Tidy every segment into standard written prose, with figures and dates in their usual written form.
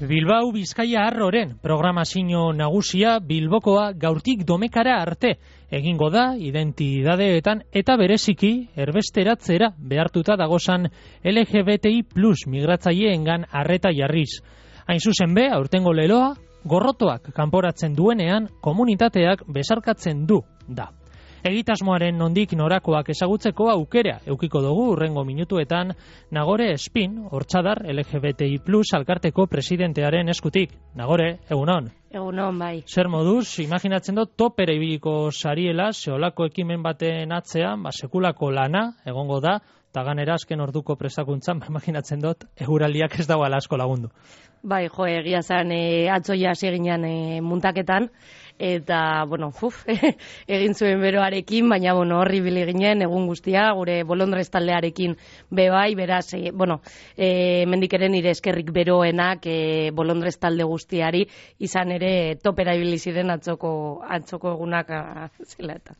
Bilbao Bizkaia Arroren programazio nagusia Bilbokoa gaurtik Domekara arte egingo da identidadeetan eta bereziki erbesteratzera behartuta dagozan LGBTI+ migratzaileengan arreta jarriz. Hain zuzen be, aurtengo leloa, gorrotoak kanporatzen duenean komunitateak besarkatzen du da. Egitasmoaren nondik norakoak ezagutzeko aukera eukiko dugu urrengo minutuetan Nagore Espin, Hortzadar LGBTI+ alkarteko presidentearen eskutik. Nagore, egunon. Egunon, bai. Zer moduz, imaginatzen dut topera ibiliko sariela, zeolako ekimen baten atzean, sekulako lana egongo da, eta ganera azken orduko prestakuntzan, imaginatzen dut, eguraldiak ez dagoela asko lagundu. Bai, jo, egia zan atzoia seginan muntaketan, eta, bueno, egin zuen beroarekin, baina, bueno, horri bili ginen, egun guztia, gure Bolondrez taldearekin bebai, beraz, mendikeren nire eskerrik beroenak Bolondrez talde guztiari, izan ere topera ibili ziren atzoko egunak zela eta.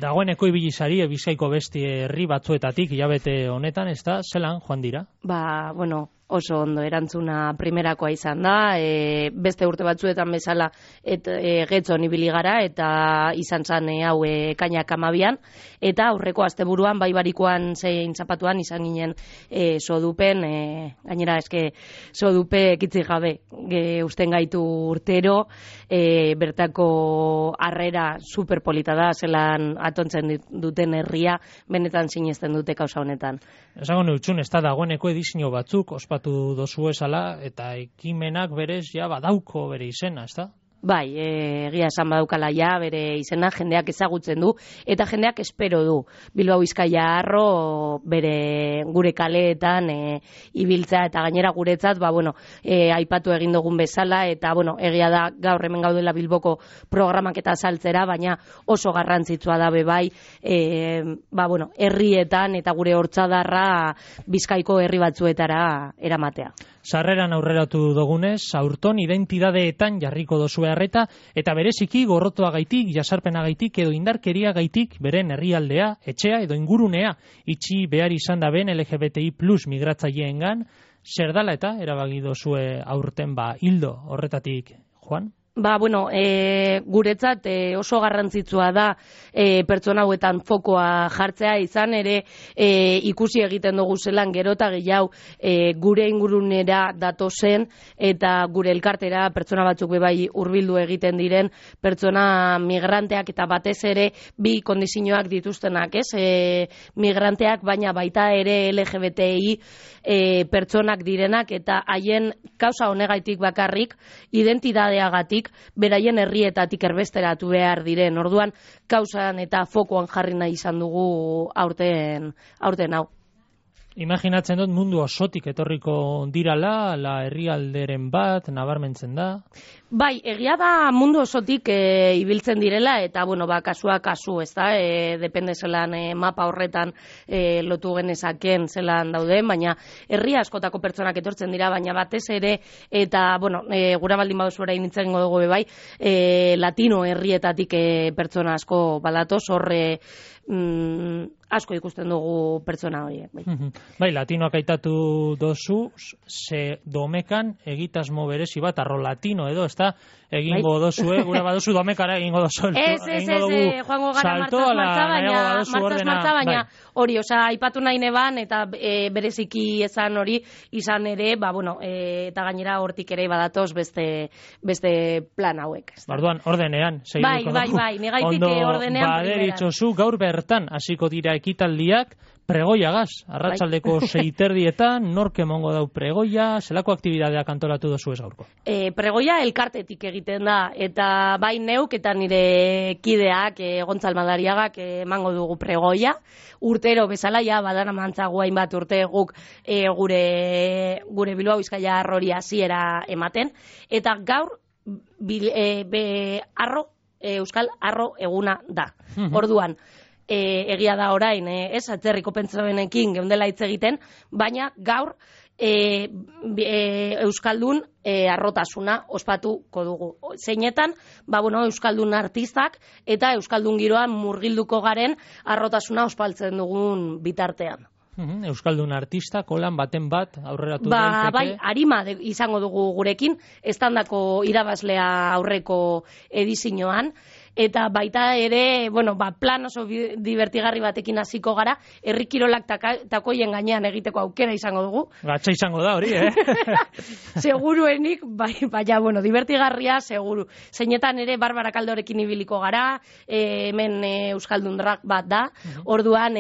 Dagoeneko ibili sari, Bizkaiko beste herri batzuetatik, hilabete honetan, ez da, zelan joan dira? Ba, bueno, oso ondo, erantzuna primerakoa izan da, beste urte batzuetan bezala getzon ibili gara, eta izan zan hau ekainak 12an, eta aurreko asteburuan, baibarikoan zein zapatuan izan ginen sodupen, gainera eske sodupe kitzi gabe, usten gaitu urtero, bertako harrera superpolita da, zelan atontzen duten herria, benetan sinesten dute kausa honetan. Esango neutxun, ez da dagoeneko edizio batzuk, ospatu dozu esala, eta ekimenak berez ja badauko bere izena, ez da? Bai, egia esan badaukala ja, bere izena jendeak ezagutzen du, eta jendeak espero du. Bilbao Bizkaia Arro bere gure kaleetan ibiltza, eta gainera guretzat, aipatu egin dugun bezala, eta egia da gaur hemen gaudela Bilboko programak eta saltzera, baina oso garrantzitsua da bebai, herrietan eta gure Hortzadarra Bizkaiko herri batzuetara eramatea. Sarreran aurreratu dugunez, aurton identidadeetan jarriko dozue arreta, eta bereziki gorrotoagaitik, jasarpenagaitik edo indarkeriagaitik beren herrialdea, etxea edo ingurunea itxi behar izan da ben LGBTI+ migratzaileengan, zer dala eta erabaki dozue aurten hildo horretatik, Juan? Guretzat oso garrantzitsua da pertsona hauetan fokoa jartzea, izan ere ikusi egiten dugu zelan gero eta gehiago gure ingurunera datozen eta gure elkartera pertsona batzuk bebai hurbildu egiten diren pertsona migranteak eta batez ere bi kondizioak dituztenak, migranteak baina baita ere LGBTI pertsonak direnak eta haien kausa honegaitik bakarrik identidadeagatik beraien herrietatik erbesteratu behar diren. Orduan, kausan eta fokoan jarri nahi izan dugu aurten hau. Imaginatzen dut mundu osotik etorriko dirala, herrialderen bat, nabarmentzen da? Bai, egia da mundu osotik ibiltzen direla, eta, kasua kasu, ez da, depende zelan mapa horretan lotu genezaken zelan dauden, baina herri askotako pertsonak etortzen dira, baina batez ere, eta, gura baldin baduzu orain nintzen dugu bebai, latino herrietatik pertsona asko balatoz, horre asko ikusten dugu pertsona horiek. Bai, latinoak aitatu dozu, ze Domekan egitasmo berezi bat, arro latino edo, ez da, egingo dozue, gure baduzu Domekara egingo dozu. Joango gara martaz martza, baina hori, aipatu nahi neban, eta bereziki ezan hori, izan ere, eta gainera hortik ere badatoz beste plan hauek. Barduan, ordenean, segituko dugu. Bai, negaitik ordenean. Baderitzozu, gaur bertan, hasiko dira ekitaldiak, pregoiagaz, arratsaldeko 6:30, nork emongo dau pregoia, zelako aktibidadeak antolatu dozu ez gaurko? Pregoia elkartetik egiten da, eta bai neuk eta nire kideak, Gontzal Madariagak emango dugu pregoia, urtero bezala, badana mantzagu hainbat urte guk gure Bilbao Bizkaia Arrori hasiera ematen, eta gaur Euskal Arro eguna da. Orduan, egia da orain, atzerriko pentsamenekin geundela hitz egiten, baina gaur Euskaldun arrotasuna ospatuko dugu. Zeinetan, Euskaldun artistak eta Euskaldun giroan murgilduko garen arrotasuna ospaltzen dugun bitartean. Euskaldun artista, kolan baten bat aurreratu daiteke. Bai, arima izango dugu gurekin, estandako irabazlea aurreko edizioan, eta baita ere, plan oso divertigarri batekin hasiko gara, herri kirolak takoien gainean egiteko aukera izango dugu. Gatza izango da hori, Seguruenik, baina, divertigarria, seguru. Zeinetan ere, Barbara Kaldorekin ibiliko gara, hemen Euskaldun drag bat da, orduan,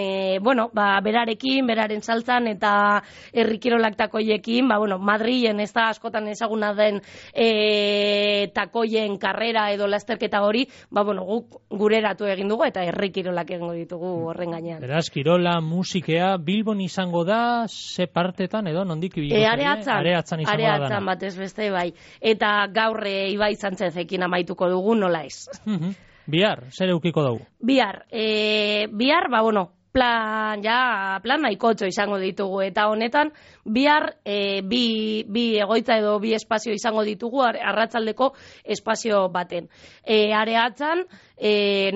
berarekin, beraren saltzan, eta herri kirolak takoiekin, Madrilen ez da askotan ezaguna den takoien karrera edo lasterketa hori, guk gureratu egin dugu eta herri kirolak egingo ditugu horren gainean. Beraz, kirola, musikea, Bilbon izango da, ze partetan edo nondik ibiliko? Areatzan izango da. Areatzan batez beste bai. Eta gaur Ibai Santzezekin amaituko dugu, nola ez. Bihar, zer eukiko dugu? Bihar, plan nahikotxo izango ditugu, eta honetan bihar bi egoitza edo bi espazio izango ditugu arratsaldeko espazio baten. Areatzan,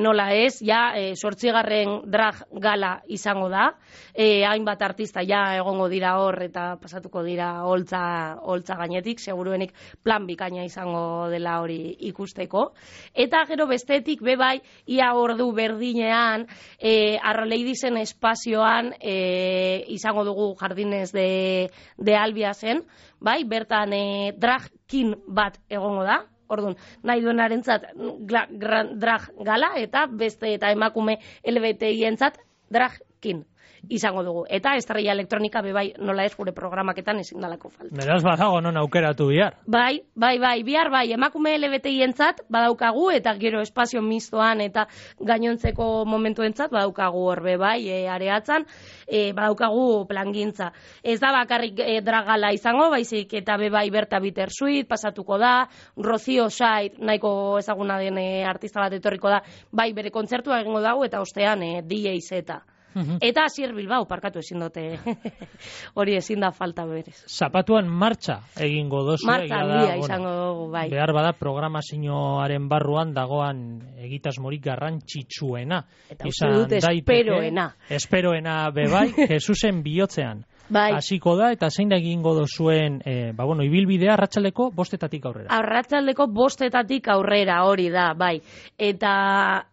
nola ez, 8. drag gala izango da, hainbat artista egongo dira hor eta pasatuko dira holtza gainetik, seguruenik plan bikaina izango dela hori ikusteko. Eta gero bestetik bebai, ia ordu berdinean, Arroleidisen espazioan izango dugu Jardines de Albiasen, bai, bertan drag-kin bat egongo da, orduan, nahi duenarentzat drag gala, eta beste eta emakume LGBTI-entzat drag-kin izango dugu. Eta estrella elektronika bebai nola ez gure programaketan ezin dalako falta. Beraz badago non aukeratu bihar. Bai, bihar bai, emakume LGBTI-entzat badaukagu eta gero espazio mistoan eta gainontzeko momentuentzat badaukagu horbe bai, Areatzan, badaukagu plangintza. Ez da bakarrik dragala izango, baizik eta bebai Berta Bittersuit pasatuko da, Rocío Sait nahiko ezaguna den artista bat etorriko da, bai bere kontzertua egingo dago eta ostean DJ Zeta. Eta Asier Bilbao, parkatu ezin dute, hori ezin da falta berez. Zapatuan martxa egingo dozu. Martxa handia izango dugu, bai. Behar bada programazioaren barruan dagoan egitasmorik garrantzitsuena. Eta uste dut esperoena. Esperoena bebai, Jesusen bihotzean. Bai. Hasiko da, eta zein da egingo dozuen, ibilbidea arratsaldeko 5:00 aurrera. Arratsaldeko 5:00 aurrera, hori da, bai. Eta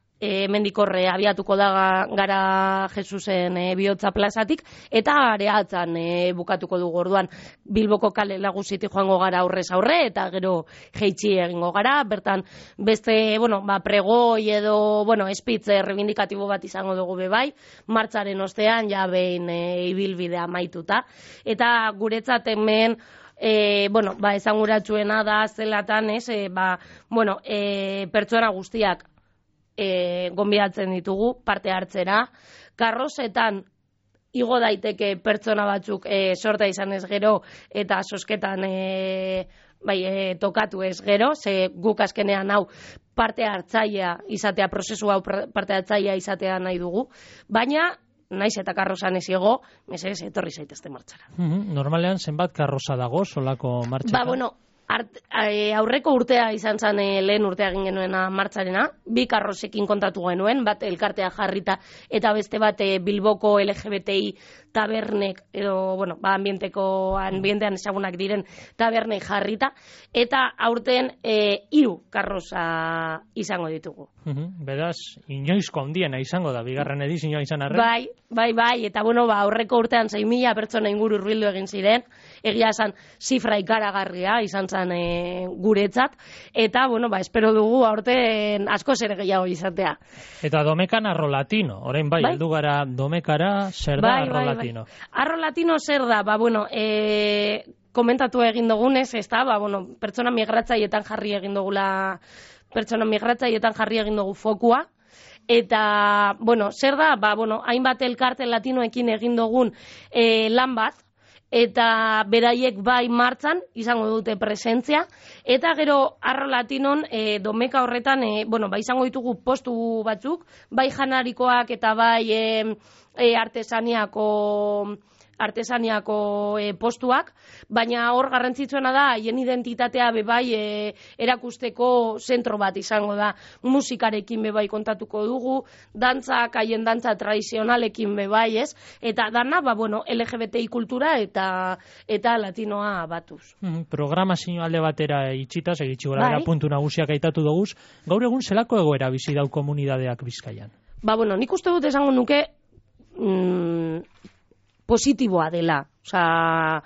mendikorre abiatuko da gara Jesusen bihotza plazatik, eta Areatzan bukatuko dugu orduan Bilboko kale nagusitik joango gara aurrez aurre, eta gero jeitsi egingo gara, bertan beste, pregoi edo, espitz rebindikatibo bat izango dugu bebai, martxaren ostean, behin ibilbidea maituta, eta guretzat hemen, esanguratsuena da zelatan, pertsona guztiak gonbidatzen ditugu parte hartzera. Karrozetan igo daiteke pertsona batzuk sorta izan ez gero eta sosketan tokatu ez gero, ze guk azkenean hau parte hartzailea izatea, prozesu hau parte hartzailea izatea nahi dugu, baina naiz eta karrozan ez igo, mesedez etorri zaitezte martxara. Normalean zenbat karroza dago solako martxetan? Aurreko urtea izan zen lehen urtea egin genuena martxarena, 2 karrozekin kontatu genuen, bat elkartea jarrita eta beste bat Bilboko LGBTI tabernek edo, ambientean ezagunak diren tabernek jarrita, eta aurten 3 karroza izango ditugu. Beraz, inoizko handiena izango da, bigarren edizioa izan arren? Bai, eta aurreko urtean 6.000 pertsona inguru hurbildu egin ziren, egia esan zifra ikaragarria izan zen guretzat, eta espero dugu aurten asko zer gehiago izatea. Eta Domekan Arrolatino, orain heldu gara Domekara, zer da Arrolatino? Arrolatino zer da, komentatu egin dugunez, ez da, pertsona migratzaietan jarri egin dugula, pertsona migratzaietan jarri egin dugu fokua, eta, zer da, hainbat elkarte latinoekin egin dugun lan bat, eta beraiek bai martzan izango dute presentzia, eta gero Arrolatinon Domeka horretan, izango ditugu postu batzuk, bai janarikoak eta bai artesaniako artesaniako postuak, baina hor garrantzitsuena da haien identitatea bebai erakusteko zentro bat izango da. Musikarekin bebai kontatuko dugu, dantzak, haien dantza tradizionalekin bebai, ez? Eta dana, LGBTI kultura eta latinoa batuz. Programazio alde batera itxita, segitxi gora, puntu nagusiak aitatu duguz, gaur egun zelako egoera bizi dau komunidadeak Bizkaian? Nik uste dut esango nuke positiboa dela. Osea,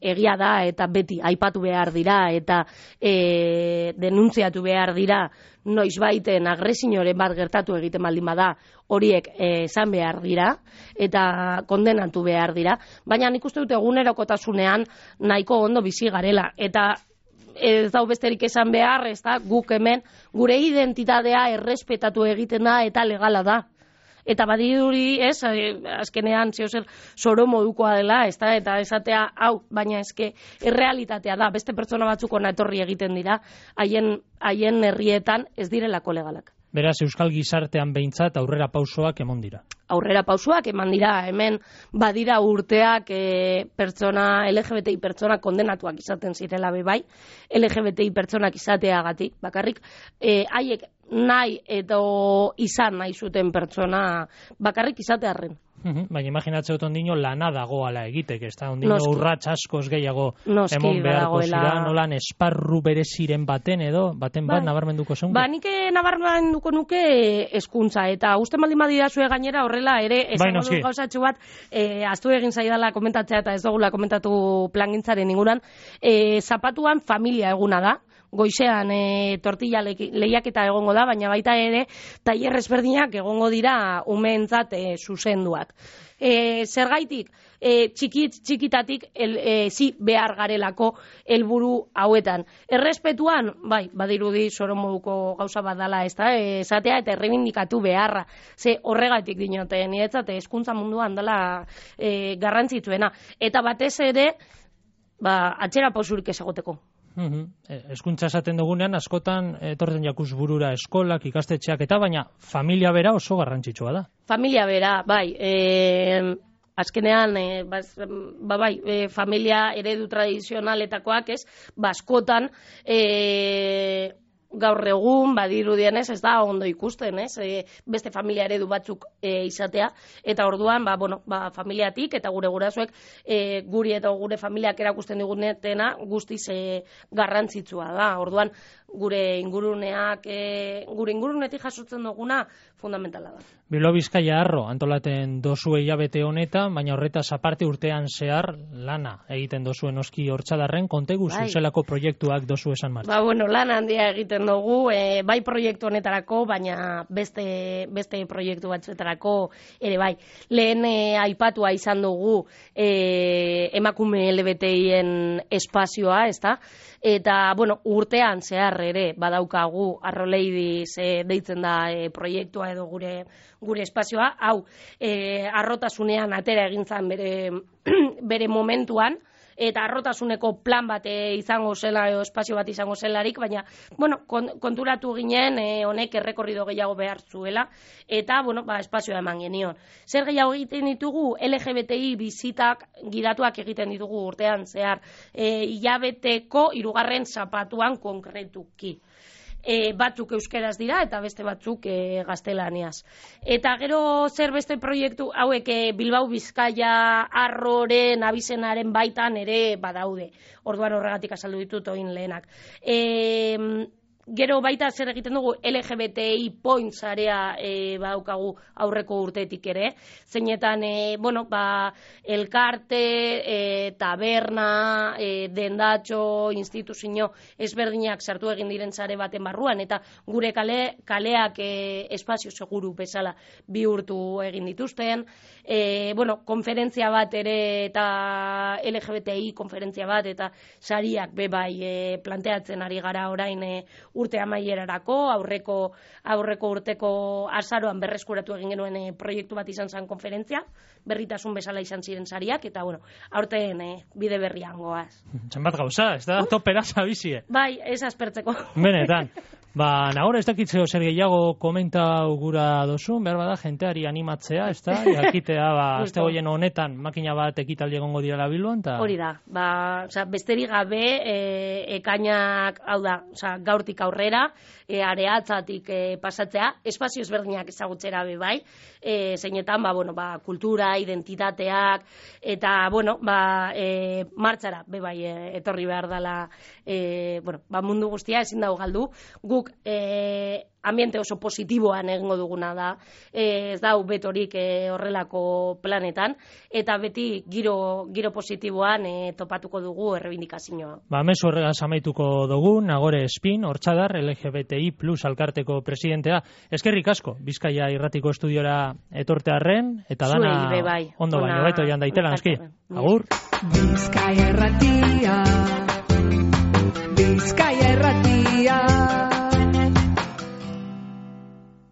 egia da eta beti aipatu behar dira eta denuntziatu behar dira noizbaiten agresioren bat gertatu egiten baldin bada, horiek esan behar dira eta kondenatu behar dira, baina nik uste dut egunerokotasunean nahiko ondo bizi garela eta ez dau besterik esan behar, ez da, guk hemen gure identitatea errespetatu egiten da eta legala da. Eta badirudi, ez, azkenean zeozer zoro modukoa dela, ez da, eta esatea, baina eske errealitatea da, beste pertsona batzuk ona etorri egiten dira, haien herrietan ez direlako legalak. Beraz, euskal gizartean behintzat aurrera pausoak emon dira. Aurrera pausoak eman dira, hemen badira urteak LGBTI pertsona kondenatuak izaten zirela bebai, LGBTI pertsonak izateagatik, bakarrik, haiek nahi eta izan nahi zuten pertsona bakarrik izatearren. Baina imaginatze dut ondino lana dagoala egitek, ez da? Ondino urrats askoz gehiago emon beharko zira, nolan esparru bereziren baten bat nabarmenduko zeunke? Nik nabarmenduko nuke hezkuntza eta uste maldin badidazue gainera horrela ere esango du gauzatxo bat, aztu egin zaidala komentatzea eta ez dugula komentatu plangintzaren inguran, zapatuan familia eguna da, goizean tortilla lehiaketa egongo da, baina baita ere tailer ezberdinak egongo dira umeentzat zuzenduak. Zergaitik, txikitatik behar garelako helburu hauetan. Errespetuan, badirudi zoro moduko gauza bat dela, ez da, esatea eta errebindikatu beharra. Ze horregatik dinote, niretzat hezkuntza munduan dela garrantzitsuena. Eta batez ere, atzera pausurik ezagoteko. Hezkuntza esaten dugunean askotan etortzen jakuz burura eskolak, ikastetxeak eta baina familia bera oso garrantzitsua da. Familia bera, azkenean familia eredu tradizionaletakoak, ez, askotan gaur egun badirudienez ez da ondo ikusten, ez? Beste familia eredu batzuk izatea eta orduan familiatik eta gure gurasoek guri eta gure familiak erakusten digunetena guztiz garrantzitsua da. Orduan gure ingurunetik jasotzen duguna fundamentala da. Bilbao Bizkaia Arro antolaten dozue hilabete honetan, baina horretaz aparte urtean zehar lana egiten dozuen oski hortzadarren, kontegu zuzelako proiektuak dozu esan martza. Lana handia egiten dugu, bai proiektu honetarako, baina beste proiektu batzuetarako ere bai. Lehen aipatua izan dugu emakume LGBTien espazioa, ezta? Eta, urtean zehar ere badaukagu Arro Ladies deitzen da proiektua edo gure espazioa, hau arrotasunean atera egin zen bere momentuan, eta arrotasuneko plan bat izango zela, espazio bat izango zelarik, baina, konturatu ginen honek errekorrido gehiago behar zuela, eta, espazioa eman genion. Zer gehiago egiten ditugu, LGBTI bizitak gidatuak egiten ditugu urtean, zehar, hilabeteko 3. zapatuan konkretuki. Batzuk euskeraz dira eta beste batzuk gaztelaniaz. Eta gero zer beste proiektu hauek Bilbao Bizkaia Arroren abizenaren baitan ere badaude. Orduan horregatik azaldu ditut oin lehenak. Gero baita zer egiten dugu LGBTI points area badaukagu aurreko urtetik ere. Zeinetan, elkarte, taberna, dendatxo, instituzio ezberdinak sartu egin diren sare baten barruan, eta gure kaleak espazio seguru bezala bihurtu egin dituzten. Konferentzia bat ere eta LGBTI konferentzia bat eta sariak bebai planteatzen ari gara orain urte amaierarako, aurreko urteko azaroan berreskuratu egin genuen proiektu bat izan zen konferentzia, berritasun bezala izan ziren sariak, eta aurten bide berrian goaz. Zenbat gauza, ez da topera zabizie. Bai, ez aspertzeko. Benetan. Nahora ez dakitzeo zer gehiago komenta gura dozun, behar bada jenteari animatzea, ez da? Jakitea, azte goien honetan makina bat ekitaldi egongo direla Bilbon, ta... Hori da, besterik gabe ekainak, hau da, gaurtik aurrera, areatzatik pasatzea, espazio ezberdinak ezagutzera be bai, zeinetan, kultura, identitateak, eta, martxara, be bai, etorri behar dela, mundu guztia ezin dago galdu, guk ambiente oso positiboan egingo duguna da, ez da betorik horrelako planetan, eta beti giro positiboan topatuko dugu errebindikazioa. Mezu horregaz amaituko dugu, Nagore Espin, Hortxadar, LGBTI plus alkarteko presidentea. Eskerrik asko, Bizkaia Irratiko estudiora etortearren, eta dana ondo baino, beto joan daitela, noski. Agur! Bizkaia Irratia, Bizkaia Irratia.